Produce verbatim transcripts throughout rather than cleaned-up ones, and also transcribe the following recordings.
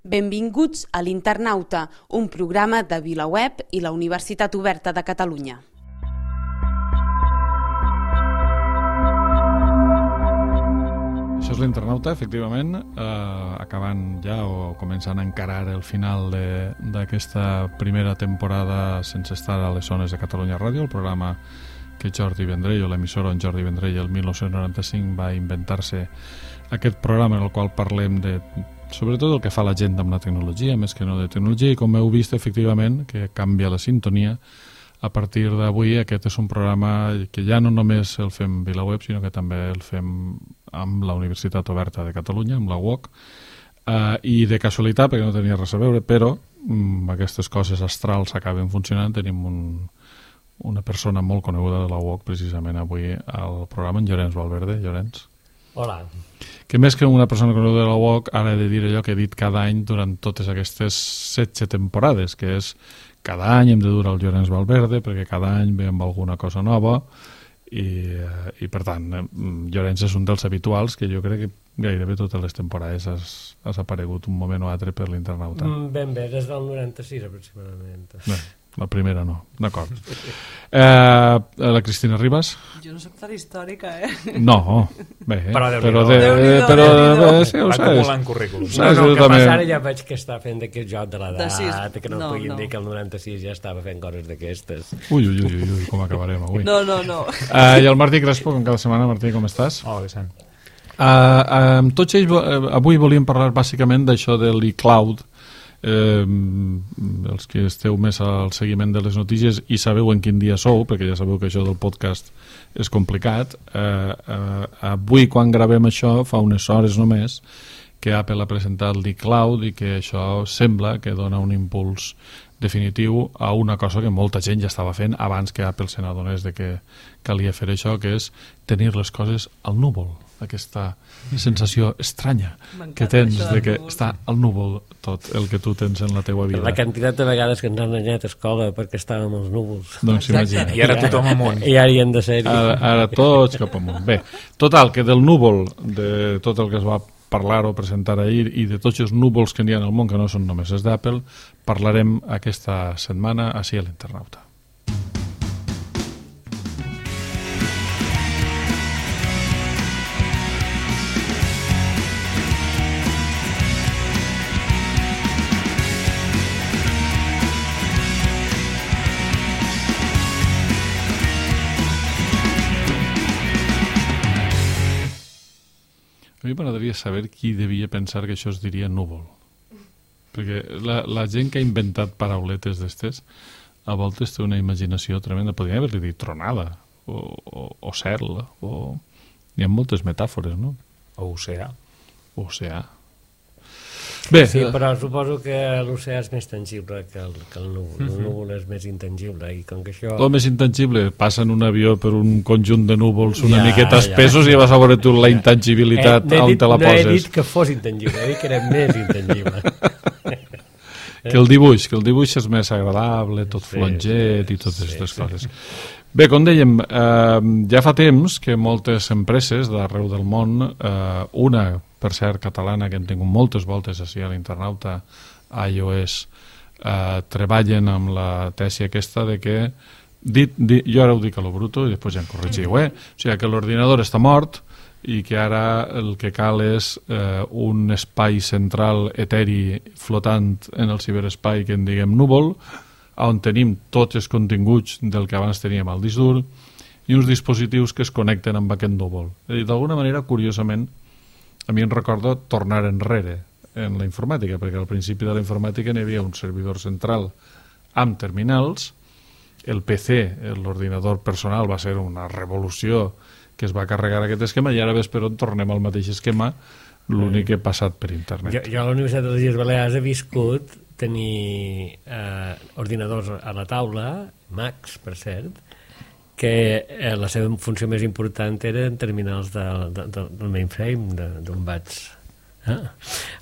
Benvinguts a l'Internauta, un programa de VilaWeb i la Universitat Oberta de Catalunya. Això és l'Internauta, efectivament, eh, acabant ja o començant a encarar el final d'aquesta primera temporada sense estar a les zones de Catalunya Ràdio, el programa que Jordi Vendrell, o l'emissora on Jordi Vendrell el mil nou-cents noranta-cinc va inventar-se aquest programa en el qual parlem de sobretot el que fa la gent amb la tecnologia, més que no de tecnologia, i com heu vist, efectivament, que canvia la sintonia. A partir d'avui aquest és un programa que ja no només el fem VilaWeb, sinó que també el fem amb la Universitat Oberta de Catalunya, amb la U O C, uh, i de casualitat, perquè no tenia res a veure, però um, aquestes coses astrals acaben funcionant. Tenim un, una persona molt coneguda de la U O C precisament avui al programa, en Llorenç Valverde. Llorenç. Hola. Que més que una persona coneguda de la U O C, ara he de dir allò que he dit cada any durant totes aquestes setze temporades, que és cada any hem de dur el Llorenç Valverde perquè cada any ve amb alguna cosa nova i, i per tant Llorenç és un dels habituals que jo crec que gairebé totes les temporades has, has aparegut un moment o altre per l'Internauta. Mm, ben bé, des del noranta-sis aproximadament. Bé, la primera no, d'acord. Eh, la Cristina Ribas? Jo no soc tan històrica, eh? No, bé, però però, de, Déu-n'hi-do, però Déu-n'hi-do. bé, sí, ho saps. Acumulant currículums. No, no, el que passa ara ja veig que està fent d'aquest joc de l'edat, que no, no puguin no. dir que el noranta-sis ja estava fent coses d'aquestes. Ui, ui, ui, ui, com acabarem avui. No, no, no. Uh, I el Martí Crespo, com cada setmana. Martí, com estàs? Hola, Vicent. Uh, amb tots ells, uh, avui volíem parlar bàsicament d'això de l'e-cloud. Eh, els que esteu més al seguiment de les notícies i sabeu en quin dia sou, perquè ja sabeu que això del podcast és complicat. eh, eh, avui quan gravem això fa unes hores només que Apple ha presentat l'e-cloud i que això sembla que dona un impuls definitiu a una cosa que molta gent ja estava fent abans que Apple se n'adonés de que calia fer això, que és tenir les coses al núvol, aquesta sensació estranya que tens de que està al núvol tot el que tu tens en la teua vida. La quantitat de vegades que ens han anyat a escola perquè estàvem als núvols. Doncs imagina. I ara tothom amunt. I ara hi hem de ser. Ara, ara tots cap amunt. Bé, total, que del núvol, de tot el que es va parlar o presentar ahir i de tots els núvols que n'hi ha al món, que no són només els d'Apple, parlarem aquesta setmana així a l'Internauta. A mi m'agradaria saber qui devia pensar que això es diria núvol. Perquè la, la gent que ha inventat parauletes d'estes a voltes té una imaginació tremenda. Podria haver-li dit tronada o, o, o cel o... hi ha moltes metàfores, no? O oceà. Oceà. Bé, Sí, però suposo que l'oceà és més tangible que el, que el núvol. El núvol és més intangible i com que això... el més intangible, passa en un avió per un conjunt de núvols una Ja, miqueta ja. espesos i vas a veure tu la intangibilitat Eh, no he on dit- te la No he poses. dit que fos intangible, he dit que era més intangible. Que el dibuix, que el dibuix és més agradable, tot Sí, flonget sí, i totes sí, aquestes sí. coses. Bé, com dèiem, eh, ja fa temps que moltes empreses d'arreu del món, eh, una, per cert, catalana, que hem tingut moltes voltes així a l'Internauta, iOS, eh, treballen amb la tesi aquesta de que, dit, dit, jo ara ho dic a lo bruto i després ja em corregiu, eh? O sigui, que l'ordinador està mort i que ara el que cal és eh, un espai central eteri flotant en el ciberespai que en diguem núvol, on tenim tots els continguts del que abans teníem al disc dur i uns dispositius que es connecten amb aquest núvol. D'alguna manera, curiosament, a mi em recorda tornar enrere en la informàtica, perquè al principi de la informàtica n'hi havia un servidor central amb terminals, el P C, l'ordinador personal, va ser una revolució que es va carregar aquest esquema i ara ves per on tornem al mateix esquema, l'únic que ha passat per internet. Jo, jo a la Universitat de les Illes Balears he viscut tenir eh, ordinadors a la taula, Macs, per cert, que eh, la seva funció més important era en terminals de, de, de, del mainframe, d'on vaig... Eh?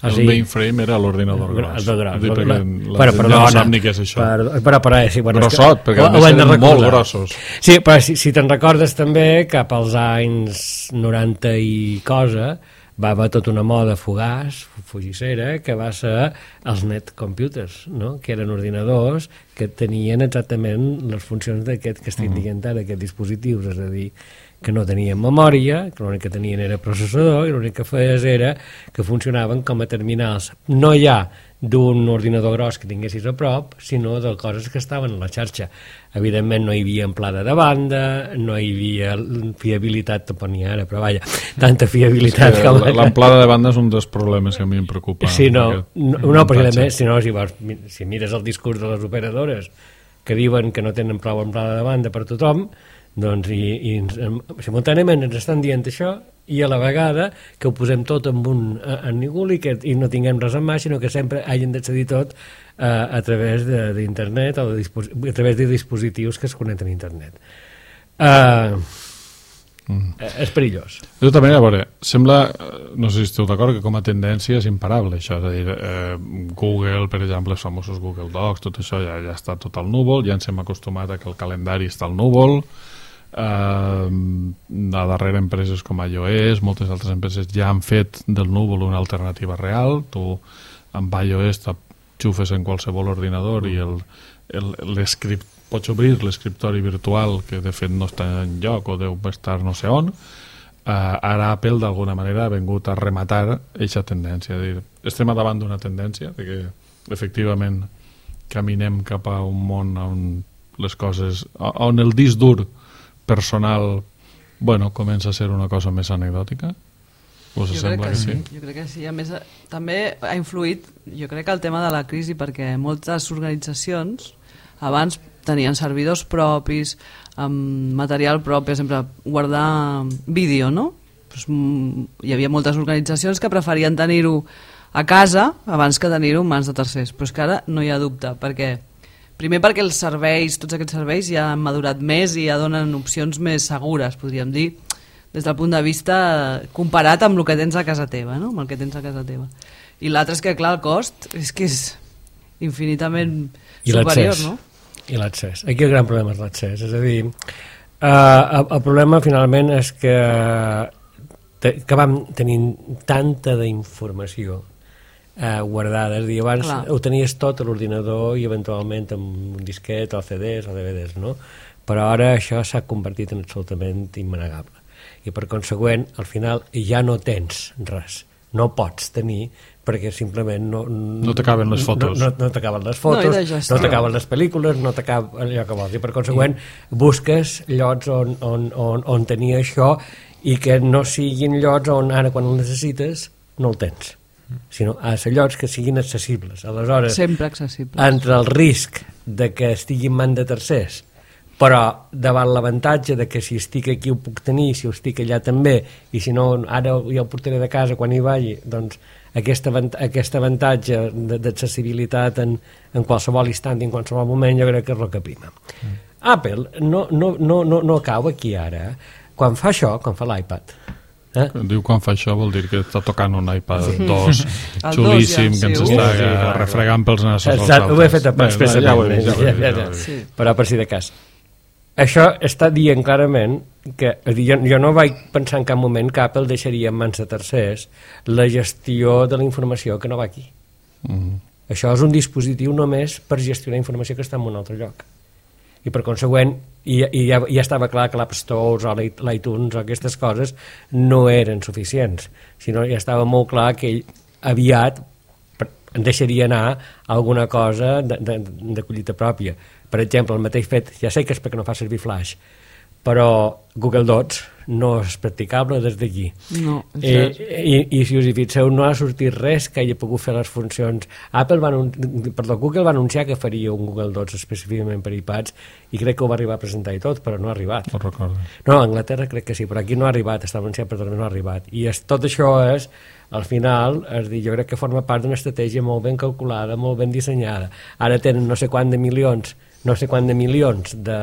El sigui, mainframe era l'ordinador gros. El gros. Dir, La, la, però, però, no no, sap ni què és això. Per, però, però, sí, bueno, Grossot, perquè ho, a més eren molt grossos. Sí, però si, si te'n recordes també, cap als anys noranta i cosa, va haver tota una moda fugaç, fugissera, que va ser els net computers, no? Que eren ordinadors que tenien exactament les funcions d'aquest que estic dient ara, aquests dispositius, és a dir, que no tenien memòria, que l'únic que tenien era processador i l'únic que feies era que funcionaven com a terminals, no ja d'un ordinador gros que tinguessis a prop, sinó de coses que estaven a la xarxa. Evidentment no hi havia amplada de banda, no hi havia fiabilitat, tampoc n'hi ha ara, però vaja, tanta fiabilitat sí, com... L'amplada de banda és un dels problemes que a mi em preocupa. Sí, no, no, no perquè a més, si no, si, vols, si mires el discurs de les operadores que diuen que no tenen prou amplada de banda per tothom, doncs i, i simultàniament ens estan dient això i a la vegada que ho posem tot en un en ningú i que i no tinguem res en mà, sinó que sempre hagin d'accedir tot eh, a través d'internet o de a través de dispositius que es connecten a internet. Uh, mm. És perillós. Jo també, a veure, sembla, no sé si esteu d'acord, que com a tendència és imparable això, és a dir, eh, Google, per exemple, els famosos Google Docs, tot això ja, ja està tot al núvol, ja ens hem acostumat a que el calendari està al núvol, eh, a darrere empreses com iOS, moltes altres empreses ja han fet del núvol una alternativa real, tu amb iOS t'enxufes en qualsevol ordinador i el, el, l'escript, pots obrir l'escriptori virtual que de fet no està en lloc o deu estar no sé on. Uh, ara Apple d'alguna manera ha vingut a rematar aquesta tendència, és dir, estem davant d'una tendència de que efectivament caminem cap a un món on les coses, on el disc dur personal, bueno, comença a ser una cosa més anecdòtica. Us jo sembla crec que, que sí? sí? Jo crec que sí. A més, també ha influït, jo crec que el tema de la crisi, perquè moltes organitzacions abans tenien servidors propis, amb material propi, per exemple, guardar vídeo, no? Pues, hi havia moltes organitzacions que preferien tenir-ho a casa abans que tenir-ho en mans de tercers, però és que ara no hi ha dubte, perquè primer perquè els serveis, tots aquests serveis ja han madurat més i ja donen opcions més segures, podríem dir, des del punt de vista comparat amb el que tens a casa teva, no? Amb el que tens a casa teva. I l'altre és que, clar, el cost és que és infinitament I superior, no? I l'accés. Aquí el gran problema és l'accés. És a dir, eh, el, el problema finalment és que, te, que vam tenint tanta d'informació eh, guardada. És a dir, abans Clar. ho tenies tot a l'ordinador i eventualment amb un disquet o C Ds o D V Ds, no? Però ara això s'ha convertit en absolutament immanegable. I per consegüent, al final ja no tens res. No pots tenir perquè simplement no... No t'acaben les fotos. No, no, no t'acaben les fotos, no, no t'acaben les pel·lícules, no t'acaba allò que vols. I per consegüent busques llocs on, on, on, on tenir això i que no siguin llocs on ara quan el necessites no el tens, sinó a ser llocs que siguin accessibles. Aleshores, sempre accessibles. Entre el risc de que estigui en mans de tercers, però davant l'avantatge de que si estic aquí ho puc tenir, si ho estic allà també, i si no ara ja ho portaré de casa quan hi vagi, doncs aquest, aquest avantatge d'accessibilitat en, en qualsevol instant i en qualsevol moment jo crec que és el que prima. Mm. Apple no, no, no, no, no cau aquí ara quan fa això, quan fa l'iPad. Eh? Diu quan fa això vol dir que està tocant un iPad sí. dos xulíssim ja, sí, que ens està sí, sí, refregant pels nassos als altres. Ho he fet expressament, ja ho he vist, ja, ja, ja, ja. Sí. Però per si de cas. Això està dient clarament que jo, jo no vaig pensar en cap moment que Apple deixaria en mans de tercers la gestió de la informació que no va aquí. Mm-hmm. Això és un dispositiu només per gestionar informació que està en un altre lloc. I per consegüent, i, i ja, ja estava clar que l'App Store o l'iTunes o aquestes coses no eren suficients, sinó ja estava molt clar que ell aviat deixaria anar alguna cosa de, de, de collita pròpia. Per exemple, el mateix fet, ja sé que és perquè no fa servir Flash, però Google Docs no és practicable des d'aquí. No, eh, i, I si us hi fixeu, no ha sortit res que hagi pogut fer les funcions. Apple va perdó, Google va anunciar que faria un Google Docs específicament per iPads i crec que ho va arribar a presentar i tot, però no ha arribat. No recordo. No, a Anglaterra crec que sí, però aquí no ha arribat, està anunciat però no ha arribat. I és, tot això és, al final, és dir, jo crec que forma part d'una estratègia molt ben calculada, molt ben dissenyada. Ara tenen no sé quant de milions no sé quant de milions de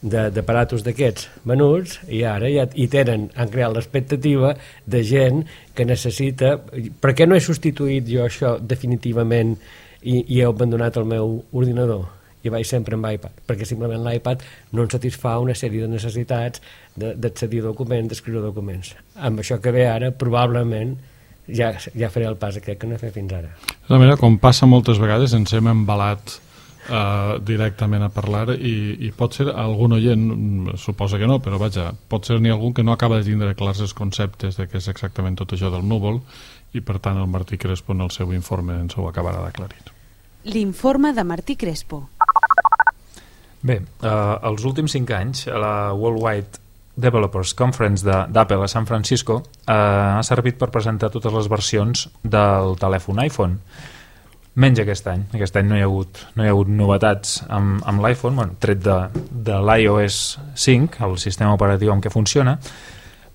d'aparatos d'aquests venuts i ara ja hi tenen, han creat l'expectativa de gent que necessita. Per què no he substituït jo això definitivament i, i he abandonat el meu ordinador i vaig sempre amb iPad? Perquè simplement l'iPad no ens satisfà una sèrie de necessitats d'accedir a documents, d'escriure documents. Amb això que ve ara, probablement ja, ja faré el pas aquest que no he fet fins ara. De manera, com passa moltes vegades, ens hem embalat uh, directament a parlar i, i pot ser algun oient, suposa que no, però vaja, pot ser ni algun que no acaba de tindre clars els conceptes de què és exactament tot això del núvol i per tant el Martí Crespo en el seu informe ens ho acabarà d'aclarir. L'informe de Martí Crespo. Bé, eh, els últims cinc anys a la Worldwide Developers Conference d'Apple a San Francisco eh, ha servit per presentar totes les versions del telèfon iPhone. Menys aquest any. Aquest any no hi ha hagut, no hi ha hagut novetats amb, amb l'iPhone, bueno, tret de, de l'iOS cinc, el sistema operatiu amb què funciona.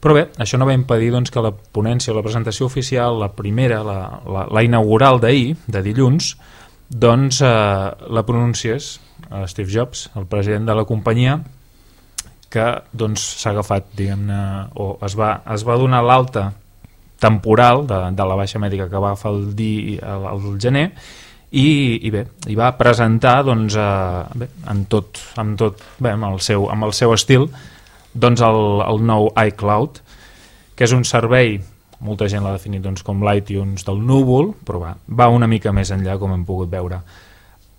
Però bé, això no va impedir doncs, que la ponència o la presentació oficial, la primera, la, la, la inaugural d'ahir, de dilluns, doncs eh, la pronunciés Steve Jobs, el president de la companyia, que doncs s'ha agafat, diguem-ne, o es va, es va donar l'alta temporal de, de la baixa mèdica que va agafar el, di, el, el gener i, i bé, i va presentar doncs, eh, bé, amb tot, amb tot bé, amb, el seu, amb el seu estil doncs el, el nou iCloud, que és un servei, molta gent l'ha definit doncs, com l'iTunes del núvol, però va, va una mica més enllà, com hem pogut veure.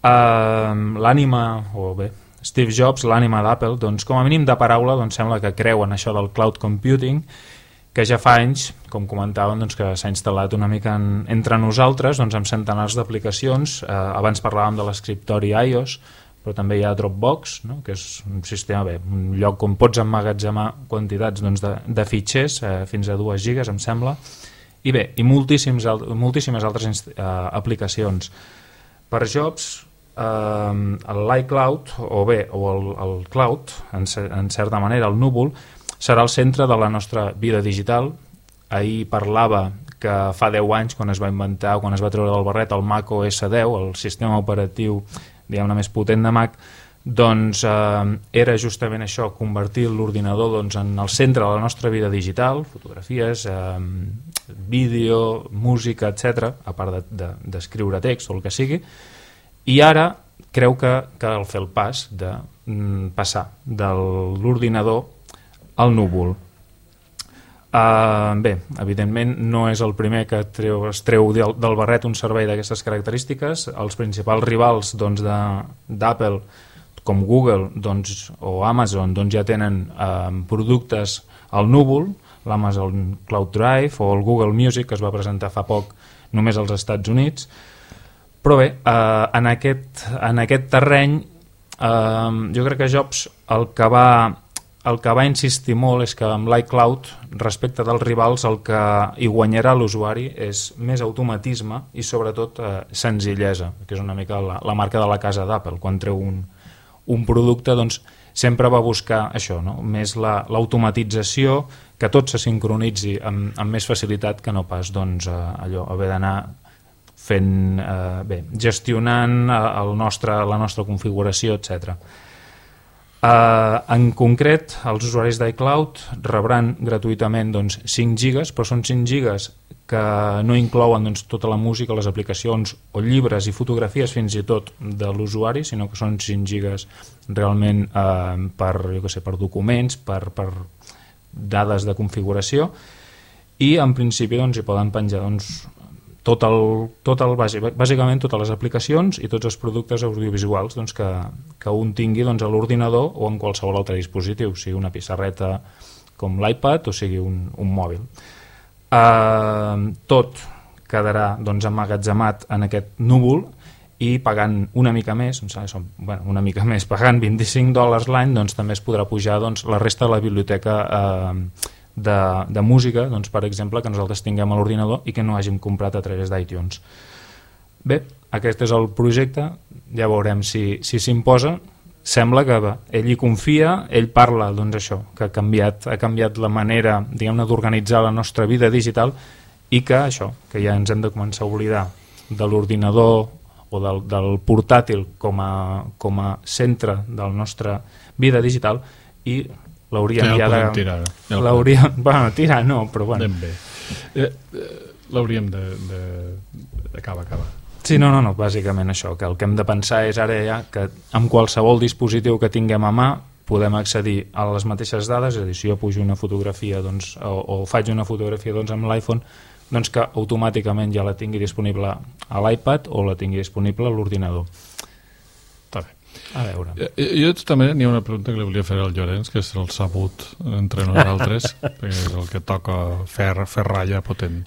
Uh, l'ànima, o bé, Steve Jobs, l'ànima d'Apple, doncs com a mínim de paraula doncs sembla que creu en això del cloud computing, que ja fa anys, com comentàvem, doncs, que s'ha instal·lat una mica en, entre nosaltres doncs, amb centenars d'aplicacions. Eh, abans parlàvem de l'escriptori iOS, però també hi ha Dropbox, no? Que és un sistema, bé, un lloc on pots emmagatzemar quantitats doncs, de, de fitxers, eh, fins a dues gigas, em sembla, i bé, i moltíssims, moltíssimes altres eh, aplicacions. Per Jobs, eh, l'iCloud, o bé, o el, el cloud, en, en certa manera, el núvol, serà el centre de la nostra vida digital. Ahir parlava que fa deu anys, quan es va inventar, quan es va treure del barret el Mac O S deu, el sistema operatiu diguem-ne més potent de Mac, doncs eh, era justament això, convertir l'ordinador doncs, en el centre de la nostra vida digital, fotografies, eh, vídeo, música, etcètera, a part d'escriure de, de, text o el que sigui, i ara creu que cal fer el pas de mm, passar de l'ordinador al núvol. Uh, bé, evidentment no és el primer que treu, es treu del, del barret un servei d'aquestes característiques. Els principals rivals doncs, d'Apple, com Google doncs, o Amazon, doncs, ja tenen uh, productes al núvol, l'Amazon Cloud Drive o el Google Music, que es va presentar fa poc només als Estats Units. Però bé, uh, en, aquest, en aquest terreny uh, jo crec que Jobs el que va el que va insistir molt és que amb l'iCloud, respecte dels rivals, el que hi guanyarà l'usuari és més automatisme i sobretot eh, senzillesa, que és una mica la, la marca de la casa d'Apple. Quan treu un, un producte, doncs sempre va buscar això, no? Més l'automatització, la, que tot se sincronitzi amb, amb més facilitat que no pas doncs, eh, allò, haver d'anar fent, eh, bé, gestionant el nostre, la nostra configuració, etcètera. Uh, en concret, els usuaris d'iCloud rebran gratuïtament doncs, cinc gigas, però són cinc gigas que no inclouen doncs, tota la música, les aplicacions o llibres i fotografies fins i tot de l'usuari, sinó que són cinc gigas realment uh, per, jo què sé, per documents, per, per dades de configuració, i en principi doncs, hi poden penjar doncs, tot el, tot el, bàsicament totes les aplicacions i tots els productes audiovisuals doncs, que, que un tingui doncs, a l'ordinador o en qualsevol altre dispositiu, sigui una pissarreta com l'iPad o sigui un, un mòbil. Uh, tot quedarà doncs, emmagatzemat en aquest núvol i pagant una mica més, bueno, una mica més pagant vint-i-cinc dòlars l'any, doncs, també es podrà pujar doncs, la resta de la biblioteca uh, De, de música, doncs, per exemple, que nosaltres tinguem a l'ordinador i que no hàgim comprat a través d'iTunes. Bé, aquest és el projecte, ja veurem si si s'imposa. Sembla que bé, ell hi confia, ell parla doncs, això, que ha canviat, ha canviat la manera diguem-ne d'organitzar la nostra vida digital i que això, que ja ens hem de començar a oblidar de l'ordinador o del, del portàtil com a, com a centre de la nostra vida digital i l'hauríem ja, ja de... Tirar, ja l'hauríem... Bueno, tirar no, però bueno. Ben bé. Eh, eh, l'hauríem de... de... Acaba, acaba. Sí, no, no, no, bàsicament això, que el que hem de pensar és ara ja que amb qualsevol dispositiu que tinguem a mà podem accedir a les mateixes dades, és a dir, si jo pujo una fotografia doncs, o, o faig una fotografia doncs, amb l'iPhone, doncs que automàticament ja la tingui disponible a l'iPad o la tingui disponible a l'ordinador. Està bé. A veure. Jo, jo també n'hi ha una pregunta que li volia fer al Llorenç, que és el sabut entre nosaltres, perquè és el que toca fer, fer ratlla potent.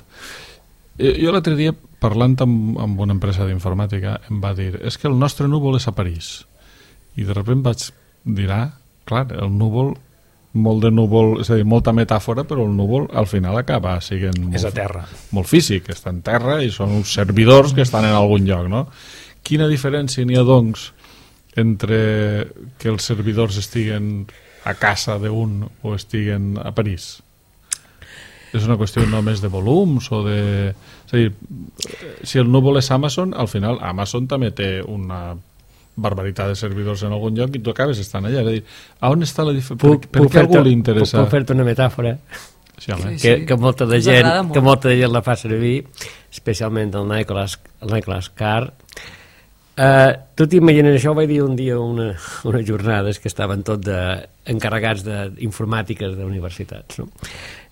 Jo, jo l'altre dia, parlant amb, amb una empresa d'informàtica, em va dir, és que el nostre núvol és a París. I de sobte vaig dir, ah, clar, el núvol, molt de núvol, és a dir, molta metàfora, però el núvol al final acaba sent molt, és a terra. Molt físic, està en terra i són uns servidors que estan en algun lloc, no? Quina diferència n'hi ha, doncs, entre que els servidors estiguen a casa d'un o estiguen a París? És una qüestió només de volums o de... És a dir, si el núvol és Amazon, al final Amazon també té una barbaritat de servidors en algun lloc i tu acabes estant allà. És a dir, a on està la diferència? Per, per què a algú li interessa? Puc fer-te una metàfora? Sí, home. que, que, molta de gent, que molta de gent la fa servir, especialment el Nicholas, el Nicholas Carr. Uh, tu t'imagines, això ho vaig dir un dia una, unes jornades que estaven tot de, encarregats d'informàtiques d'universitats, no?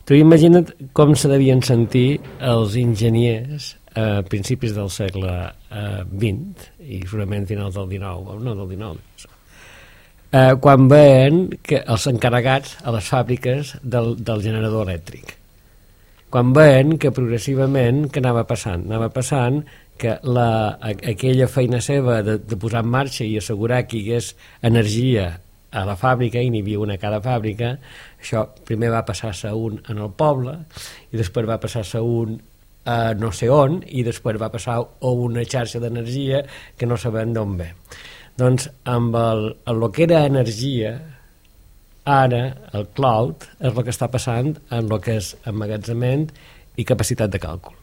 Tu imagina't com se devien sentir els enginyers a principis del segle uh, vint i segurament finals del dinou, no del dinou, uh, quan veien que els encarregats a les fàbriques del, del generador elèctric, quan veien que progressivament que anava passant, anava passant que la, aquella feina seva de, de posar en marxa i assegurar que hi hagués energia a la fàbrica, i n'hi havia una a cada fàbrica, això primer va passar-se un en el poble i després va passar-se un a no sé on i després va passar a una xarxa d'energia que no sabem d'on ve. Doncs amb el, el que era energia, ara el cloud és el que està passant en el que és emmagatzemament i capacitat de càlcul.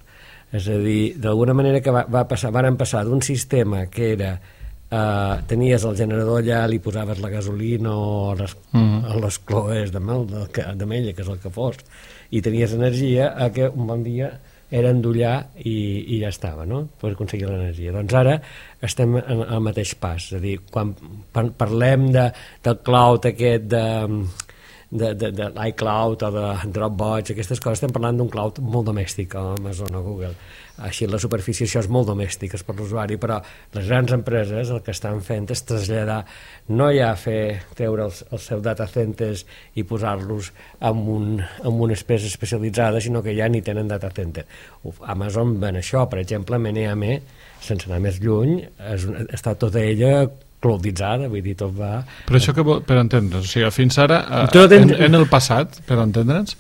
És a dir, d'alguna manera que va, va passar, van passar d'un sistema que era eh, tenies el generador allà, li posaves la gasolina o les, mm. les cloes de mel, d'amella, que és el que fos, i tenies energia, a que un bon dia era endollar i, i ja estava, no? Per aconseguir l'energia. Doncs ara estem en el mateix pas, és a dir, quan parlem de, del cloud aquest de... de, de, de l'iCloud o de Dropbox, aquestes coses, estem parlant d'un cloud molt domèstic a Amazon o Google. Així la superfície això és molt domèstic, és per l'usuari, però les grans empreses el que estan fent és traslladar, no ja fer treure els, els seus data centers i posar-los en, un, en una espècie especialitzada, sinó que ja ni tenen data center. Uf, Amazon ven això, per exemple, M N A M, sense anar més lluny, és, està tota ella clouditzada, vull dir, tot va... Però això que vol, per entendre'ns, o sigui, fins ara, en, en el passat, per entendre'ns,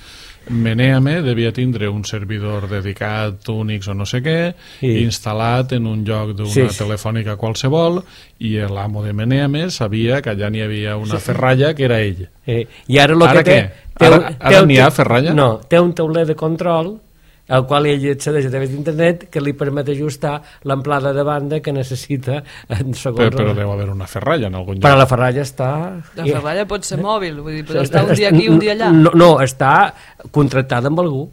M N A M devia tindre un servidor dedicat, Unix o no sé què, sí, instal·lat en un lloc d'una sí, telefònica qualsevol, i l'amo de M N A M sabia que allà n'hi havia una sí, ferralla que era ell. Sí. I ara, lo ara que té... Què? Ara, ara n'hi ha ferralla? No, té un tauler de control al qual ell accedeix a través d'internet que li permet ajustar l'amplada de banda que necessita en segons... Però, però deu haver una ferralla en algun lloc. Però la ferralla està... La ferralla pot ser mòbil, vull dir, però està un dia aquí, un dia allà. No, no està contractada amb algú.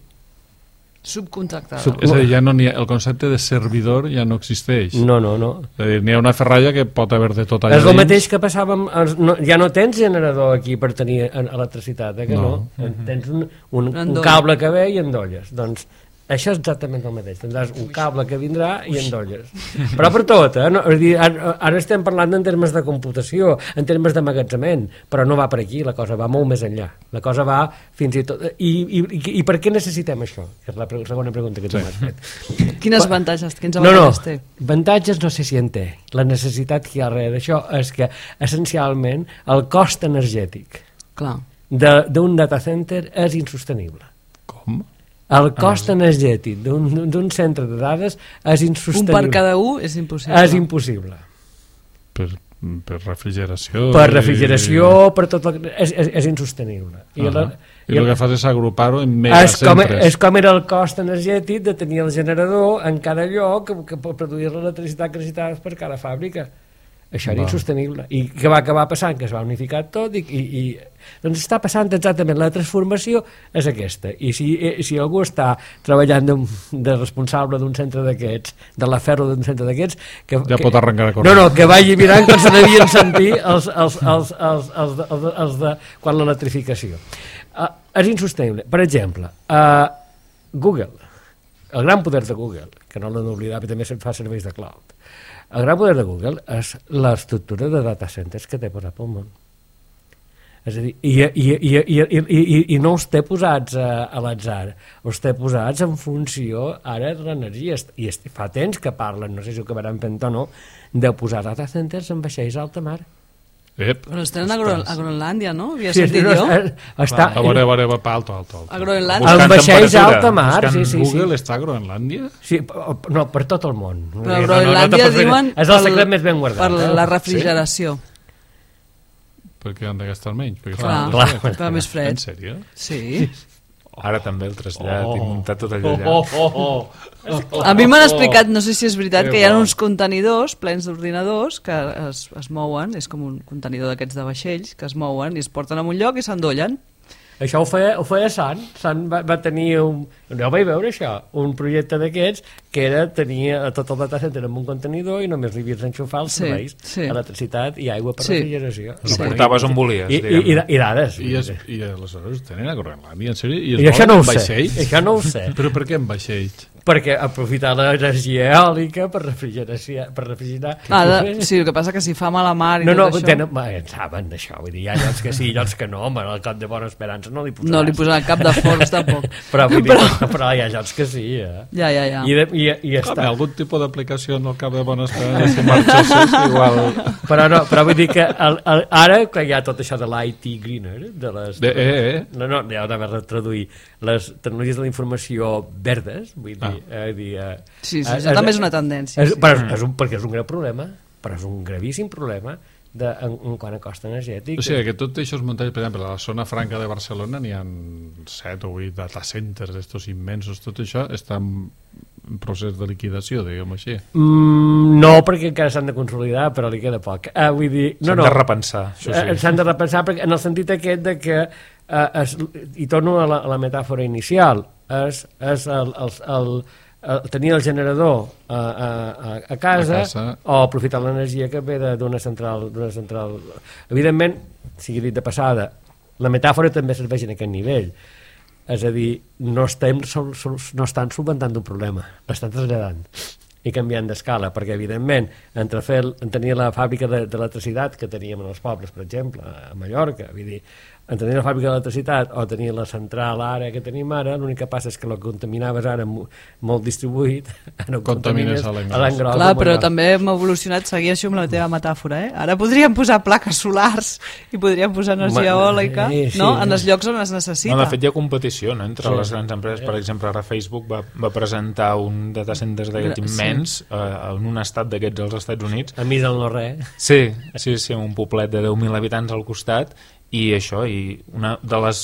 Subcontractada. Sub... És a dir, ja no ha, el concepte de servidor ja no existeix. No, no, no. És a dir, n'hi ha una ferralla que pot haver de tot allà és el dins. mateix que passava amb... No, ja no tens generador aquí per tenir electricitat, eh, que no? no? Mm-hmm. Tens un, un, un cable que ve i endolles. Doncs això és exactament el mateix. Tindràs un cable que vindrà i endolles. Però per tot, eh? No, és dir, ara, ara estem parlant en termes de computació, en termes d'emmagatzemament, però no va per aquí, la cosa va molt més enllà. La cosa va fins i tot... I, i, i, i per què necessitem això? És la pre segona pregunta que tu m'has fet. Quines avantatges? Quins avantatges no, no. té? Avantatges no sé si en té. La necessitat que hi ha darrere d'això és que, essencialment, el cost energètic d'un data center és insostenible. Com? El cost ah, energètic d'un centre de dades és insostenible. Un per cada un és impossible. És impossible. Per, per refrigeració... Per refrigeració, i... per tot... El, és, és, és insostenible. I, uh -huh. la, I, I el que fas és agrupar-ho en megacentres. És com, és com era el cost energètic de tenir el generador en cada lloc que, que per produir l'electricitat que necessitaves per cada fàbrica. Això era insostenible. I què va acabar passant? Que es va unificar tot i, i, i doncs està passant exactament, la transformació és aquesta. I si, si algú està treballant de, de responsable d'un centre d'aquests, de la ferro d'un centre d'aquests, que, ja que, pot arrencar a córrer. no, no, que vagi mirant com se devien sentir els, els, els, els, els, els, els, els de quan l'electrificació. Uh, és insostenible. Per exemple, uh, Google, el gran poder de Google, que no l'han d'oblidar, però també se'n fa serveis de cloud. El gran poder de Google és l'estructura de data centers que té posat pel món. És a dir, i, i, i, i, i, i, i no els té posats a, a l'atzar, els té posats en funció ara de l'energia. I fa temps que parlen, no sé si ho acabaran fent o no, de posar data centers en vaixells a alta mar. Ep, Però els tenen a, Gro a Groenlàndia, no? Havia Sí, sentit no, jo. està, a veure, a veure, va, alto, alto, alto. A Groenlàndia. en vaixells a temperatura, alta mar, buscant sí, sí, sí. Google està a Groenlàndia? Sí, no, per tot el món. Però a No, no, no Groenlàndia te pots fer- diuen és el secret més ben guardat. per eh? la refrigeració. Perquè han de gastar menys. Perquè Clar, fa molt clar. fred. Fa més fred. En sèrio? Sí. Ara també el trasllat Oh. i muntar tot allò allà. Oh, oh, oh. A mi m'han explicat, no sé si és veritat, Que que hi ha bo. uns contenidors plens d'ordinadors que es, es mouen, és com un contenidor d'aquests de vaixells, que es mouen i es porten a un lloc i s'endollen. Això ho feia, ho feia Sant. Sant va, va tenir un... No vaig veure això, un projecte d'aquests que era tenir tot el data center en un contenidor i només li havies d'enxufar els Sí, serveis, sí. electricitat i aigua per Sí. refrigeració. Ho portaves on volies, I, i, diguem. i, i dades. I, es, i aleshores tenen a Groenlàndia, en sèrio? I, I això no ho sé. vaixells? Això no ho sé. Però per què en vaixells? Perquè aprofitar l'energia eòlica per refrigeració, per refrigerar... Ah, de, sí, el que passa que si fa mala mar i No, no, tot això... tenen, va, en saben d'això, vull dir, hi ha llocs que sí, llocs que no, home, al cap de Bona Esperança no li posaràs. No li posaran cap de forns, tampoc. Però, vull dir, Però- però... però hi ha llocs que sí, eh? Ja, ja, ja. I, de, i, i Home, està. algun tipus d'aplicació en el cap de Bona Esperança, si marxessis, igual... Però, no, però vull dir que el, el, ara que hi ha tot això de l'I T Greener, de les... De, eh, eh. No, no, ja ho anava a traduir. Les tecnologies de la informació verdes, vull dir... Ah. Eh, dir eh, Sí, sí, eh, això també és una tendència. És, Sí. però és, és un, perquè és un greu problema, però és un gravíssim problema de, en, en quant a cost energètic. O sigui, que tot això es muntatge, per exemple, a la zona franca de Barcelona n'hi ha set o vuit data centers, estos immensos, tot això està en procés de liquidació, diguem així. Mm, no, perquè encara s'han de consolidar, però li queda poc. Uh, vull dir, no, S'han no, de repensar, això Eh, sí. S'han de repensar perquè, en el sentit aquest de que eh, es, i torno a la, a la metàfora inicial, és, és el, el, el, el, tenir el generador a, a, a, a, casa, A casa. o aprofitar l'energia que ve de- d'una central, d'una central. Evidentment, sigui dit de passada, la metàfora també serveix en aquest nivell. És a dir, no estem, sol, sol, no estan solventant un problema, l'estan traslladant i canviant d'escala, perquè evidentment entre fer, en tenir la fàbrica de- d'electricitat que teníem en els pobles, per exemple, a Mallorca, vull dir, en tenir la fàbrica d'electricitat o tenir la central ara que tenim ara, l'únic que passa és que el que contaminaves ara mo- molt distribuït, ara ho Contamines contamines a l'engròs. a l'engròs. Clar, o però molt també hem evolucionat, seguir això amb la teva metàfora, eh? Ara podríem posar plaques solars i podríem posar energia Ma- eòlica, eh, sí. no? En els llocs on es necessita. No, de fet hi ha competició, no?, entre Sí. les grans empreses. Per exemple, ara Facebook va, va presentar un data center d'aquest Sí. immens eh, en un estat d'aquests als Estats Units. A mi del no res. Sí, sí, sí, un poblet de deu mil habitants al costat, i això, i una de les,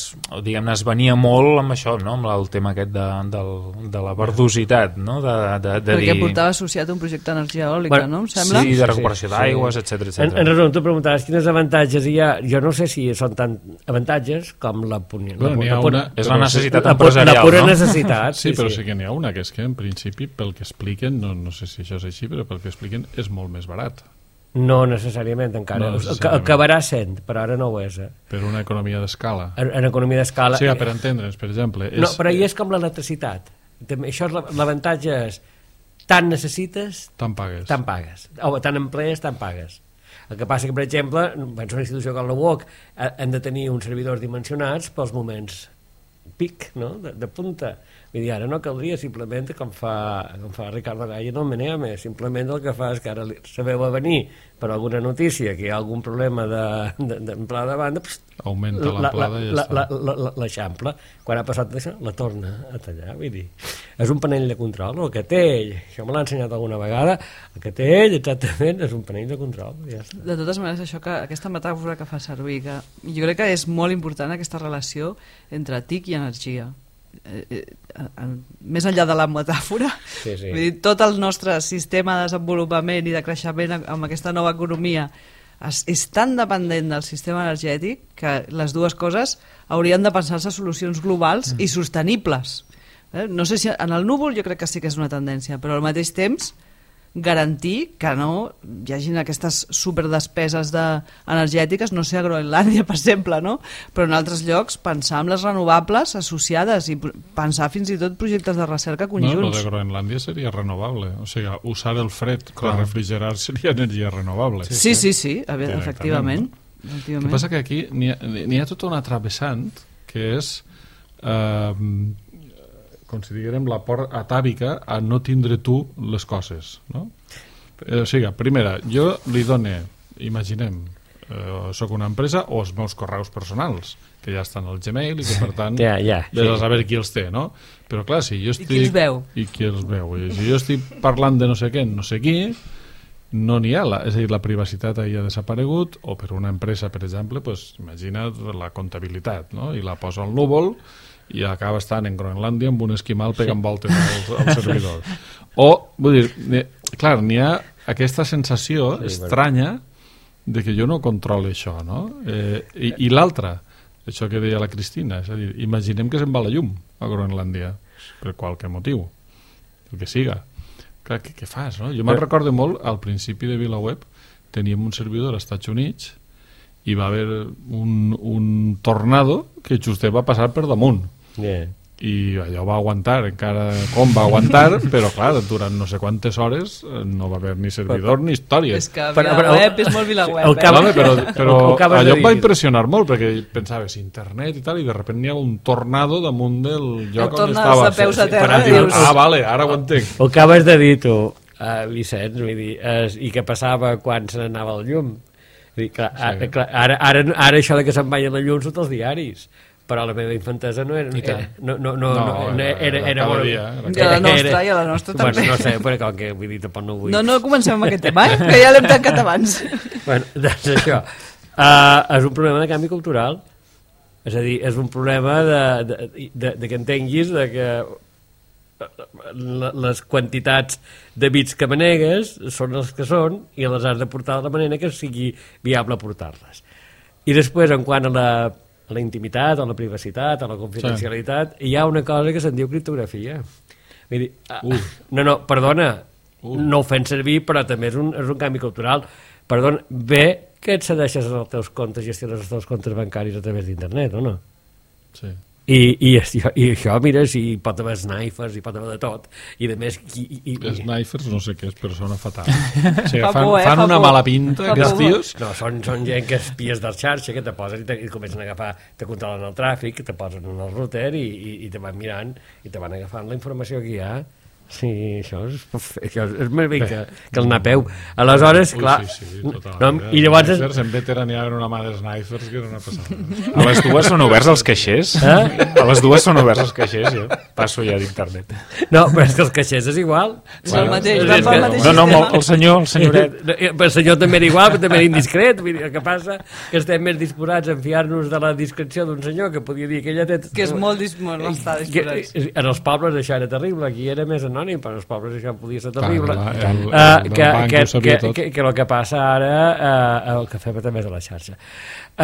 diguem-ne, es venia molt amb això, no?, amb el tema aquest de, del, de la verdositat, no?, de, de, de Perquè dir... portava associat un projecte d'energia eòlica, Bueno, no? Em sembla? Sí, de Sí, recuperació sí. d'aigües, etcètera, En, etcètera. en resum, tu preguntaves quines avantatges hi ha. Jo no sé si són tant avantatges com la, puni- Bueno, la, n'hi ha la, pura- una- És la necessitat la, pu- empresarial, la pura no? necessitat. Sí, però sí que n'hi ha una, que és que en principi, pel que expliquen, no, no sé si això és així, però pel que expliquen és molt més barat. No necessàriament encara. No No necessàriament. Acabarà sent, però ara no ho és. Eh? Per una economia d'escala. En, en economia d'escala... O sigui, per entendre'ns, per exemple... És, No, però hi és com l'electricitat. També- Això és la- l'avantatge és tant necessites, Tant pagues. tant pagues. O tant emplees, tant pagues. El que passa que, per exemple, penso una institució com la U O C, eh, hem de tenir uns servidors dimensionats pels moments pic, no?, de, de punta. Vull dir, ara no caldria, simplement, com fa, com fa Ricardo Gall en el Meneame, simplement el que fa és que ara li- sabeu a venir per alguna notícia que hi ha algun problema d'amplada de, de, de banda, pst, Augmenta la- l'amplada i ja la- està. la- la- la- l'eixampla. Quan ha passat això, la torna a tallar. Vull dir, és un panell de control. El que té ell, això me l'ha ensenyat alguna vegada, el que té ell, exactament, és un panell de control. Ja està. De totes maneres, això que, aquesta metàfora que fa servir, que jo crec que és molt important aquesta relació entre T I C i energia. eh, eh, més enllà de la metàfora, Sí, sí. vull dir, tot el nostre sistema de desenvolupament i de creixement amb aquesta nova economia és, és tan dependent del sistema energètic que les dues coses haurien de pensar-se solucions globals mm. i sostenibles. Eh? No sé si en el núvol jo crec que sí que és una tendència, però al mateix temps garantir que no hi hagin aquestes superdespeses de energètiques, no sé, a Groenlàndia, per exemple, no? Però en altres llocs pensar en les renovables associades i pensar fins i tot projectes de recerca conjunts. No, lo de Groenlàndia seria renovable, o sigui, usar el fred per refrigerar seria energia renovable. Sí, sí, sí, sí, efectivament. No? El que passa que aquí n'hi ha, n'hi ha tota una travessant que és... Eh, com si diguem la por atàvica a no tindre tu les coses, no? Eh, o sigui, primera, jo li done, imaginem, eh, soc una empresa o els meus correus personals, que ja estan al Gmail i que per tant ja, ja, sí. Ves a saber qui els té, no? Però clar, si jo estic... I qui els veu. I qui els veu. I si jo estic parlant de no sé què, no sé qui, no n'hi ha, la, és a dir, la privacitat ahir ha desaparegut, o per una empresa, per exemple, pues, imagina't la comptabilitat, no? I la posa al núvol i acaba estant en Groenlàndia amb un esquimal pegant sí. voltes al, al servidor. O, vull dir, clar, n'hi ha aquesta sensació sí, estranya de que jo no controlo això, no? Eh, I i l'altra, això que deia la Cristina, és a dir, imaginem que se'n va la llum a Groenlàndia, per qualque motiu, el que siga. Clar, què, què fas, no? Jo me'n recordo molt, al principi de VilaWeb teníem un servidor als Estats Units i va haver un, un tornado que just va passar per damunt. Yeah. I allò va aguantar, encara com va aguantar, però clar, durant no sé quantes hores no va haver ni servidor ni història. És que VilaWeb és molt VilaWeb. Eh? Vale, però però allò em va impressionar molt, perquè pensaves internet i tal, i de sobte hi ha un tornado damunt del lloc on estava. De peus a terra, sí, dius... Ah, vale, ara ho entenc. Ho acabes de dir tu, uh, Vicenç, vull dir, es, i què passava quan se n'anava el llum? Vull dir, clar, sí. ara, clar, ara, ara, ara això de que se'n vagi la llum sota els diaris, però la meva infantesa no era... era no, no, no, no, no, era, era, era, era, dia, era, era, I a la nostra, i a la nostra bueno, també. No sé, però com que vull dir, tampoc no vull... No, no comencem amb aquest tema, eh? Que ja l'hem tancat abans. Bueno, doncs això. Uh, és un problema de canvi cultural. És a dir, és un problema de, de, de, de que entenguis de que les quantitats de bits que manegues són els que són i les has de portar de la manera que sigui viable portar-les. I després, en quant a la a la intimitat, a la privacitat, a la confidencialitat, sí. Hi ha una cosa que se'n diu criptografia. Vull dir, uh. no, no, perdona, uh. no ho fem servir, però també és un, és un canvi cultural. Perdona, bé que et cedeixes als teus comptes, gestiones els teus comptes bancaris a través d'internet, o no? Sí. I, i, i això, mira, si hi pot haver snipers, hi pot haver de tot, i de més... I, i, i... Snipers no sé què és, però sona fatal. O sigui, fa fan, por, eh? fan una mala pinta, aquests tios. No, són, són gent que espies del xarxa, que te posen i, te, i comencen a agafar, te controlen el tràfic, te posen en el router i, i, i te van mirant i te van agafant la informació que hi ha. Sí, això és, això és més bé que, que el napeu. Aleshores, Ui, clar... Sí, sí, no, i llavors... Snipers, en Vetera n'hi ha una mà de snipers que era una passada. A les dues són oberts els caixers? Eh? A les dues són oberts els caixers, jo passo ja d'internet. No, però és que els caixers és igual. És el mateix, és va pel mateix no, no, el senyor, el senyoret. El senyor també era igual, però també era indiscret. Vull dir, el que passa que estem més disposats a enfiar-nos de la discreció d'un senyor que podia dir que ella té... Que és molt disposat, no està disposat. En els pobles això era terrible, aquí era més anònim, però en els pobles això podia ser terrible. Ah, el, el, uh, el que, que, que, que, que el que passa ara, uh, el que fem a través de la xarxa,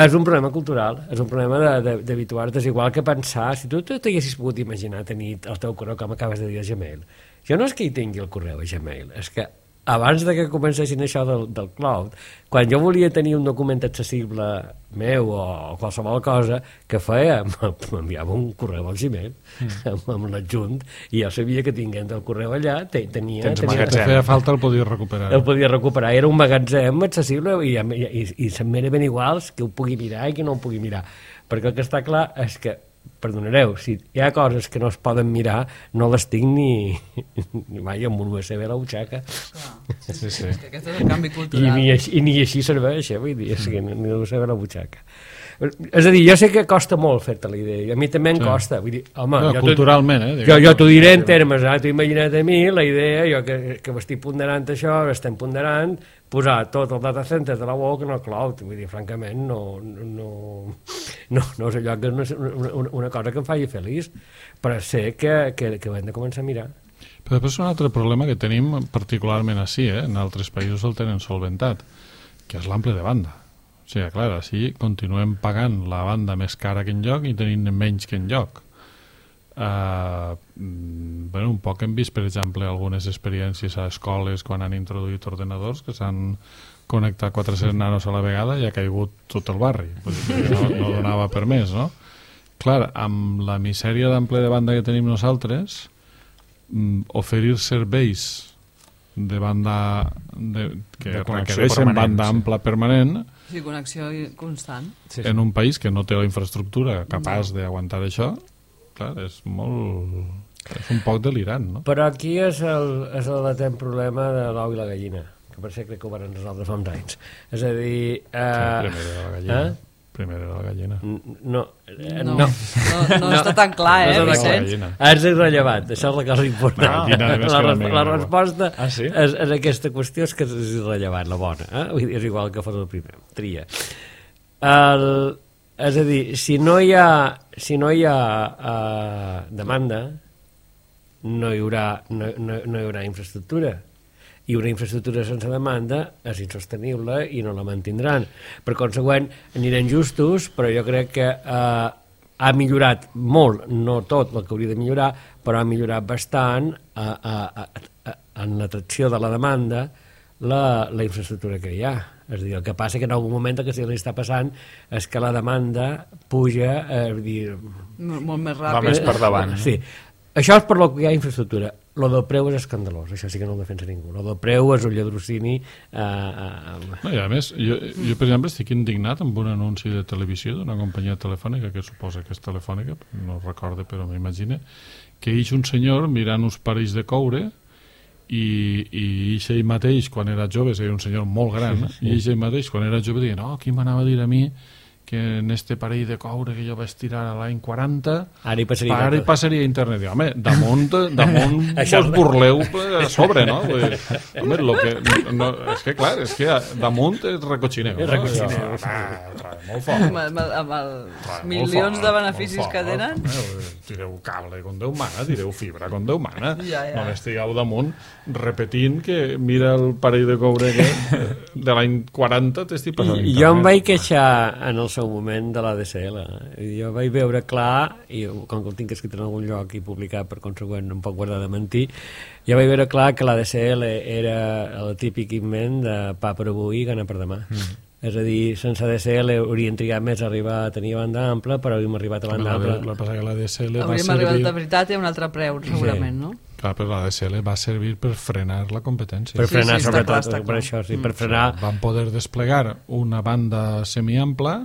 és un problema cultural, és un problema d'habituar-te. És igual que pensar, si tu t'haguessis pogut imaginar tenir el teu correu, com acabes de dir, a Gmail. Jo no és que hi tingui el correu a Gmail, és que abans de que comencessin això del, del cloud, quan jo volia tenir un document accessible meu o qualsevol cosa, que feia? M'enviava un correu al Gmail mm. amb, amb l'adjunt, i jo sabia que tinguent el correu allà te, tenia... Tens tenia magatzem. Feia falta, el podia recuperar. El podia recuperar, era un magatzem accessible i, i, i, i se'm era ben iguals que ho pugui mirar i que no ho pugui mirar, perquè el que està clar és que, perdonareu, si hi ha coses que no es poden mirar, no les tinc ni, ni mai amb un U S B a la butxaca. Sí, sí, sí. És que aquest és el canvi cultural. I ni així, i ni així serveix, eh? Vull dir, és que ni l'U S B a la butxaca. És a dir, jo sé que costa molt fer-te la idea, i a mi també em sí. costa. Vull dir, home, no, jo culturalment, eh? Jo, jo t'ho diré en termes, eh? T'ho imagina't a mi, la idea, jo que, que estic ponderant això, estem ponderant, posar tot el data center de la Walk en el cloud. Vull dir, francament, no, no, no, no és allò que és una, una, una cosa que em faci feliç, però sé que, que, que ho hem de començar a mirar. Però després un altre problema que tenim particularment així, eh? En altres països el tenen solventat, que és l'ample de banda. O sigui, clar, així continuem pagant la banda més cara que enlloc i tenint menys que enlloc. Uh, bueno, un poc hem vist, per exemple, algunes experiències a escoles quan han introduït ordenadors que s'han connectat quatre-cents nanos a la vegada i ha caigut tot el barri. No, no donava per més, no? Clar, amb la misèria d'ample de banda que tenim nosaltres, oferir serveis de banda de, que de requereixen banda ampla sí. permanent sí, connexió constant sí, sí. en un país que no té la infraestructura capaç no. d'aguantar això, clar, és molt és un poc delirant, no? Però aquí és el, és el latent problema de l'ou i la gallina, que per ser crec que ho van resoldre fa uns anys, és a dir eh, sí, primer de la gallina eh? Primer era la gallina. No, eh, no, no, no, no està tan clar, eh, Vicenç? És irrellevant, això és la cosa important. No, la, la, la, la resposta ah, sí? és, és aquesta qüestió és que és irrellevant, la bona. Eh? És igual que fos el primer, tria. El, és a dir, si no hi ha, si no hi ha uh, demanda, no hi haurà, no, no, no hi haurà infraestructura. I una infraestructura sense demanda és insostenible i no la mantindran. Per consegüent, anirem justos, però jo crec que eh, ha millorat molt, no tot el que hauria de millorar, però ha millorat bastant eh, eh, eh, en l'atracció de la demanda la, la infraestructura que hi ha. És a dir, el que passa que en algun moment el que sí li està passant és que la demanda puja, eh, dir, molt més ràpid. Va més per davant. Sí. Això és per lo que hi ha infraestructura. Lo del preu és escandalós, això sí que no ho defensa ningú. Lo del preu és un lladrocini... Eh, eh, no, i a més, jo, jo per exemple estic indignat amb un anunci de televisió d'una companyia telefònica, que suposa que és telefònica, no recordo però m'imagino, que hi ha un senyor mirant uns parells de coure i, i ell mateix quan era jove, és un senyor molt gran, sí, sí. i ell mateix quan era jove deia, no, qui m'anava a dir a mi que en este parell de coure que jo vaig tirar a l'any quaranta ara hi passaria, ara hi passaria a internet. I, home, damunt, damunt vos burleu a sobre, no? Vull dir, home, lo que, no, és que clar, és que damunt és recochineu. És recochineu. No? Ah, molt fort. Amb, amb, amb els Tra, milions fort, de beneficis que tenen. Home, tireu cable com Déu mana, tireu fibra com Déu mana. Ja, ja. No estigueu damunt repetint que mira el parell de coure que de l'any quaranta t'estic passant internet. Jo em vaig queixar en el seu moment de l'A D S L. Jo vaig veure clar, i com que el tinc escrit en algun lloc i publicat, per consegüent no em pot guardar de mentir, jo vaig veure clar que l'A D S L era el típic invent de pa per avui i gana per demà. Mm. És a dir, sense A D S L haurien trigat més a arribar a tenir banda ampla, però hauríem arribat a banda ampla. La passa que l'A D S L va hauríem servir... arribat de veritat i a un altre preu, segurament, sí. no? Clar, però l'A D S L va servir per frenar la competència. Per frenar, sí, sí, sobretot, clar, per això, sí, per mm. frenar... Van poder desplegar una banda semiampla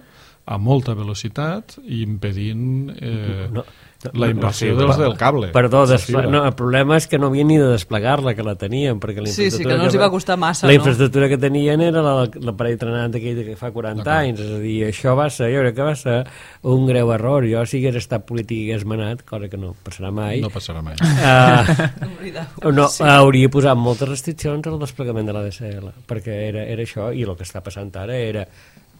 a molta velocitat i impedint eh, no, no, la inversió no, no, dels del cable. Perdó, desple... no, el problema és que no havien ni de desplegar-la, que la tenien, perquè la sí, sí, que no els hi va costar massa, la no? infraestructura que tenien era l'aparell trenant aquell que fa quaranta anys, és a dir, això va ser, jo crec que va ser un greu error. Jo, si hagués estat polític i hagués manat, cosa que no passarà mai, no passarà mai. Uh, no, sí. hauria posat moltes restriccions al desplegament de l'A D S L, perquè era, era això, i el que està passant ara era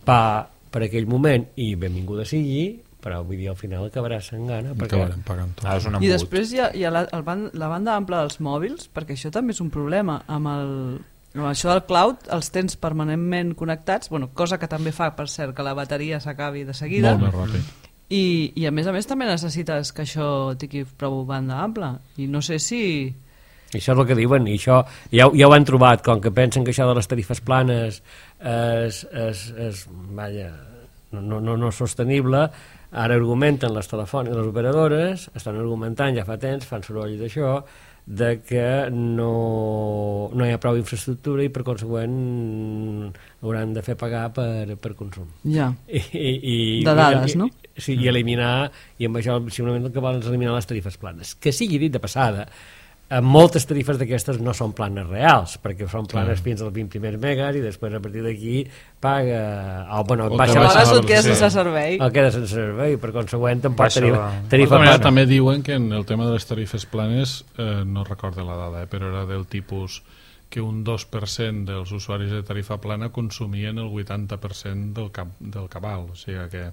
pa per aquell moment, i benvinguda sigui, però vull dir, al final acabarà sent gana. Perquè... Acabarem pagant tot. Ah, I després hi ha, hi ha la, el ban, la banda ampla dels mòbils, perquè això també és un problema. Amb, el, amb això del cloud els tens permanentment connectats, bueno, cosa que també fa, per cert, que la bateria s'acabi de seguida. Molt més ràpid. I, I a més a més també necessites que això tingui prou banda ampla. I no sé si... I això és el que diuen, i això ja, ja ho han trobat, com que pensen que això de les tarifes planes és, és, és vaja, no, no, no és sostenible. Ara argumenten les telefòniques, les operadores, estan argumentant ja fa temps, fan soroll d'això, de que no, no hi ha prou infraestructura i per consegüent hauran de fer pagar per, per consum. Ja, I, i, de dades, i, no? Sí, i eliminar, i amb això simplement el que volen és eliminar les tarifes planes. Que sigui dit de passada, eh, moltes tarifes d'aquestes no són planes reals, perquè són planes fins als vint primers megas i després a partir d'aquí paga... Oh, bueno, O baixa te la baixa Aleshores la et quedes sí. sense servei. el queda sense servei, per consegüent tampoc Baixa tarifa, la- tarifa De manera, plana. també diuen que en el tema de les tarifes planes, eh, no recordo la dada, eh, però era del tipus que un dos per cent dels usuaris de tarifa plana consumien el vuitanta per cent del, cap, del cabal, o sigui que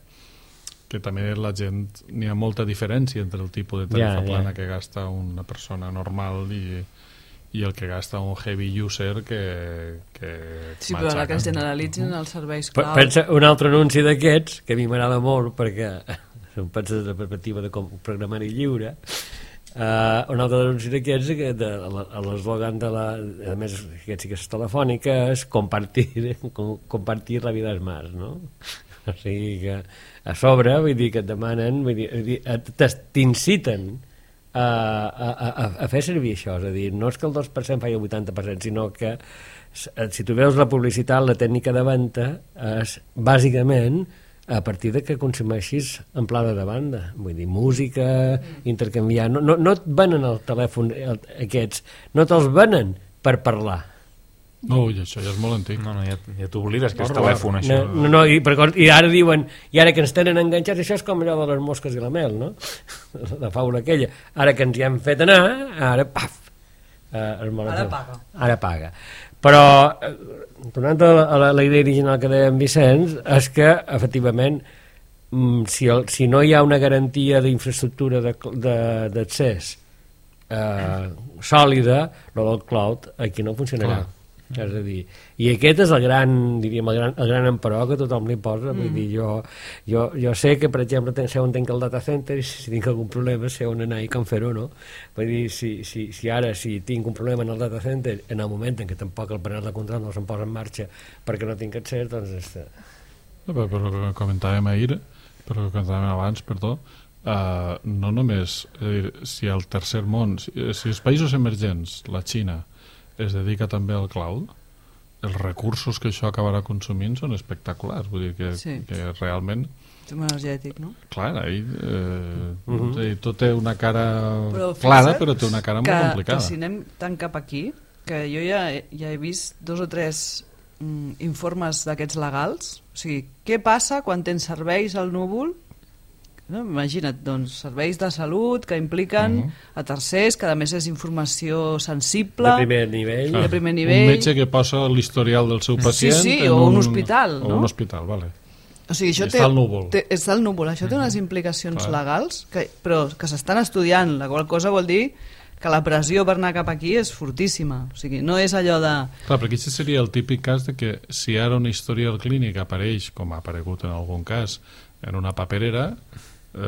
que també la gent, n'hi ha molta diferència entre el tipus de tarifa Ja, ja. plana que gasta una persona normal i, i el que gasta un heavy user que, que Sí, però ara que es generalitzin els serveis Pe- clau... Pensa un altre anunci d'aquests, que a mi m'agrada molt perquè em pensa des de la perspectiva de com programari lliure, uh, un altre anunci d'aquests que de, a l'eslògan de la, a més aquest sí que és telefònica, és compartir, com, compartir la vida és más, no? O sigui que a sobre, vull dir que et demanen, vull dir, vull dir, et- t'es- t'inciten a, a, a, a fer servir això, és a dir, no és que el dos per cent faci el vuitanta per cent, sinó que s- si tu veus la publicitat, la tècnica de venda és bàsicament a partir de que consumeixis en plana de banda, vull dir, música, intercanviar, no, no, no et venen el telèfon el, aquests, no te'ls venen per parlar. No, i això ja és molt antic. No, no, ja, ja t'oblides que és No, telèfon, això. No, no, no, i, per, I ara diuen, i ara que ens tenen enganxats, això és com allò de les mosques i la mel, no? La faula aquella. Ara que ens hi hem fet anar, ara, paf! Eh, Ara paga. Ara paga. Però, eh, tornant a la, a la, la idea original que deia en Vicenç, és que, efectivament, mm, si, el, si no hi ha una garantia d'infraestructura d'accés eh, sòlida, lo del cloud, aquí no funcionarà. Clar. És a dir, i aquest és el gran, diríem, el gran, el gran emperò que tothom li posa, mm. vull dir, jo, jo, jo sé que, per exemple, sé on tinc el data center i si tinc algun problema sé on anar i com fer-ho, no? Vull dir, si, si, si ara si tinc un problema en el data center, en el moment en què tampoc el panel de control no se'm posa en marxa perquè no tinc accés, doncs... És... Però, però que comentàvem ahir, però que comentàvem abans, perdó, uh, no només, és a dir, si el tercer món, si, si els països emergents, la Xina, es dedica també al cloud, els recursos que això acabarà consumint són espectaculars, vull dir que, Sí. que realment, Tema energètic, no? clar, ahir, eh, Mhm. és a dir, tot té una cara Però clara, fixa't però té una cara que, molt complicada. que si anem tan cap aquí, que jo ja, he- ja he vist dos o tres mm, informes d'aquests legals, o sigui, què passa quan tens serveis al núvol? No? Imagina't, doncs, serveis de salut que impliquen Mhm. a tercers, que a més és informació sensible, De primer nivell. de primer nivell. Un metge que posa l'historial del seu pacient sí, en o un hospital, o no? un hospital, vale. O sigui, això I té, està al núvol. Té, està al núvol. Això té unes implicacions Clar. legals, que, però que s'estan estudiant, la qual cosa vol dir que la pressió per anar cap aquí és fortíssima. O sigui, no és allò de... Clar, perquè aquest seria el típic cas de que si ara una historial clínica apareix, com ha aparegut en algun cas, en una paperera,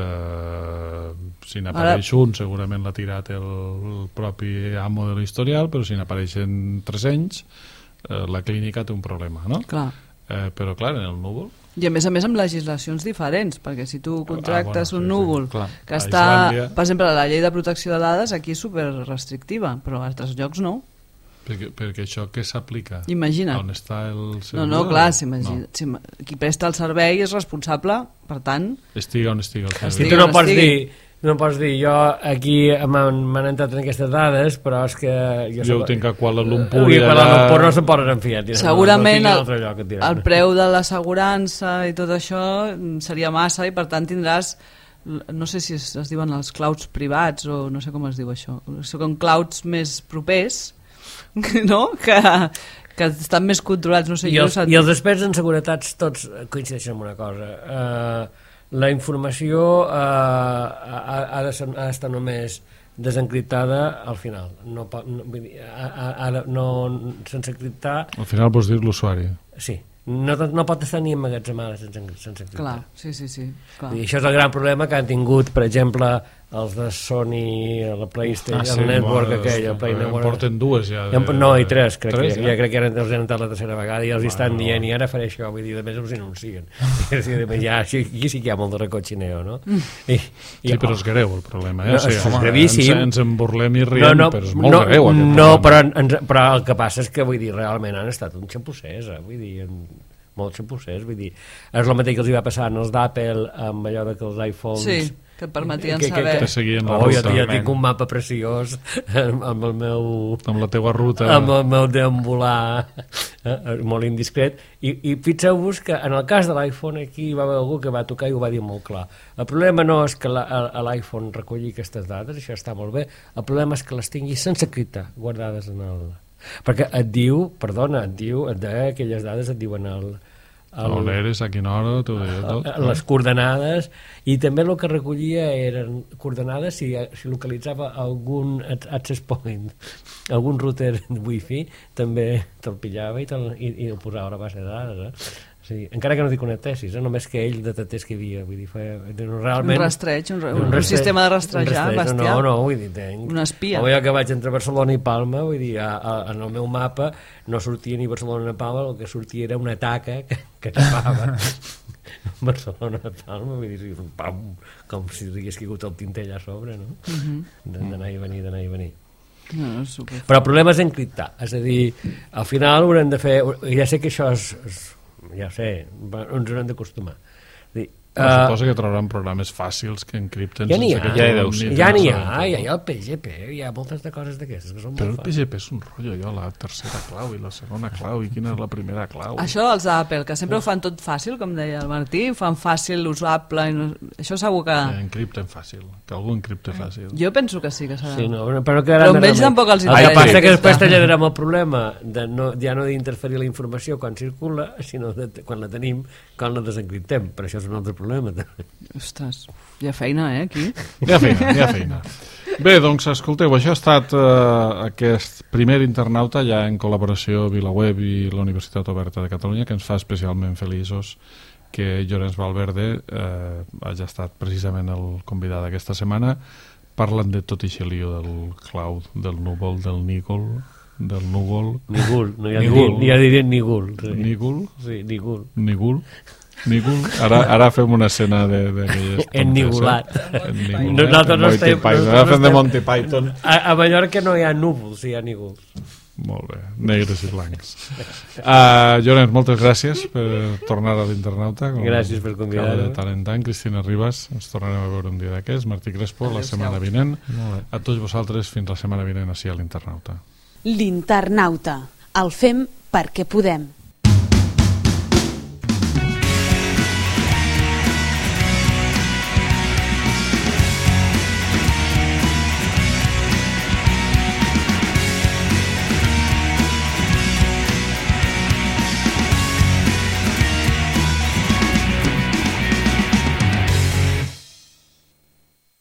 eh, si n'apareix un segurament l'ha tirat el, el propi amo de l'historial, però si n'apareixen tres anys eh, la clínica té un problema, no? Clar. Eh, però clar, en el núvol I a més a més amb legislacions diferents, perquè si tu contractes Ah, bueno, un sí, núvol sí, clar. que A està, Islàndia- per exemple, la llei de protecció de dades aquí és super restrictiva, però a altres llocs no. perquè, perquè això què s'aplica? Imagina't. On està el No, servidor? no, clar, si imagina, No. si, qui presta el servei és responsable, per tant, Estiga on estiga el I servidor. Estigui tu no on pots estigui. dir, no pots dir, jo aquí m'han m'han entrat en aquestes dades, però és que... Jo, Jo ho soc- tinc a Kuala Lumpur I i Kuala allà... Lumpur no se'n poden enfiar. tira, segurament no, no el, tinc un altre lloc, et diran. el preu de l'assegurança i tot això mm, seria massa i per tant tindràs, no sé si es, es diuen els clouds privats o no sé com es diu això, són clouds més propers, no? que, que estan més controlats, no sé, I jo els, sap- I els experts en seguretats tots coincideixen en una cosa. Uh, la informació uh, ha, ha, de ser, ha d'estar només desencriptada al final. No, pot- no, vull dir, ha, ha, ha de, no, sense encriptar... Al final vols dir l'usuari. Sí, no, no pot estar ni emmagatzemada sense, sense encriptar. Clar, sí, sí, sí. Clar. I això és el gran problema que han tingut, per exemple, els de Sony, la PlayStation, Ah, sí, el Network bueno, aquell, el Play en Network. porten dues ja. Ja, no, i tres, crec Tres, que ja? ja crec que ara els han entrat la tercera vegada i els hi estan Bueno. dient i ara faré això, vull dir, a més els anuncien. És a dir, ja, aquí, aquí sí que hi ha molt de recotxineo, no? I, i, Sí, però és greu el problema, eh? No, o sigui, és home, gravíssim. Ens, ens en burlem i riem, però és molt no, greu aquest no, problema. però, ens, però el que passa és que, vull dir, realment han estat un xapussers, eh? Vull dir, en, molts xapussers, vull dir, és el mateix que els hi va passar als d'Apple amb allò de que els iPhones Sí. que et permetien que, que, saber. Que seguien la Oh, jo, ruta. jo tinc un mapa preciós amb, amb el meu... Amb la teua ruta. amb el meu deambular eh, molt indiscret. I, i fixeu-vos que en el cas de l'iPhone aquí va haver algú que va tocar i ho va dir molt clar. El problema no és que l'iPhone recolli aquestes dades, això està molt bé, el problema és que les tingui sense criptar, guardades en el... Perquè et diu, perdona, et diu, et deia aquelles dades et diuen el... El... On eres, a quina hora, t'ho deia tot. Les coordenades, i també el que recollia eren coordenades si, si localitzava algun access point, algun router wifi, també te'l pillava i, te'l, i, i el posava a la base de dades. Eh? O sigui, encara que no t'hi connectessis, eh? Només que ell detectés que hi havia. Vull dir, feia, realment, un rastreig, un, un, un, un sistema de rastrejar un rastreig, bestial. No, no, vull dir, tenc... Un espia. O jo que vaig entre Barcelona i Palma, vull dir, a, a, en el meu mapa no sortia ni Barcelona ni Palma, el que sortia era una taca que, que tapava Barcelona ni Palma, vull dir, pam, com si hagués caigut el tintell a sobre, no? Uh-huh. D'anar i venir, d'anar i venir. No, no, super. Però el problema és encriptar, és a dir, al final haurem de fer, ja sé que això és, és ja sé, ens haurem d'acostumar. Uh, suposo que trobaran programes fàcils que encripten ja n'hi ha, que ja, ja, ja n'hi ha, ja hi ha el P G P, hi ha moltes de coses d'aquestes que són però molt el P G P és un rotllo, jo, la tercera clau i la segona clau i quina és la primera clau. Això dels Apple, que sempre ho fan tot fàcil, com deia el Martí, ho fan fàcil, usable, i no... això segur que... que encripten fàcil, que algú encripte fàcil. Jo penso que sí que serà. Sí, no, però que però amb ells tampoc els interessa. El que passa sí, que després t'allargarem el problema de no, ja no d'interferir la informació quan circula, sinó de, quan la tenim, quan la desencriptem. Per això és un altre problema. Ostres, hi ha feina, eh, aquí? Hi ha feina, hi ha feina. Bé, doncs, escolteu, això ha estat eh, aquest primer internauta ja en col·laboració VilaWeb i la Universitat Oberta de Catalunya, que ens fa especialment feliços que Llorenç Valverde eh, hagi estat precisament el convidat d'aquesta setmana, parlant de tot aquest lío del cloud, del núvol, del nígol, del núvol... Nígul, no hi ha, nígul. Ni, ja dirien nígul. Sí. Nígul? Sí, nígul. Nígul? Nígul? Ara, ara fem una escena d'aquelles... Ennigulat. Ennigulat. Nosaltres no estem... Ara fem de Monty Python. A, a Mallorca no hi ha núvols, hi ha nígols. Molt bé, negres i blancs. Uh, Llorenç, moltes gràcies per tornar a l'internauta. Gràcies per convidar-me. De tant en tant. Cristina Ribas, ens tornarem a veure un dia d'aquests. Martí Crespo, la setmana vinent. A tots vosaltres, fins la setmana vinent, així a l'internauta. L'internauta. El fem perquè podem.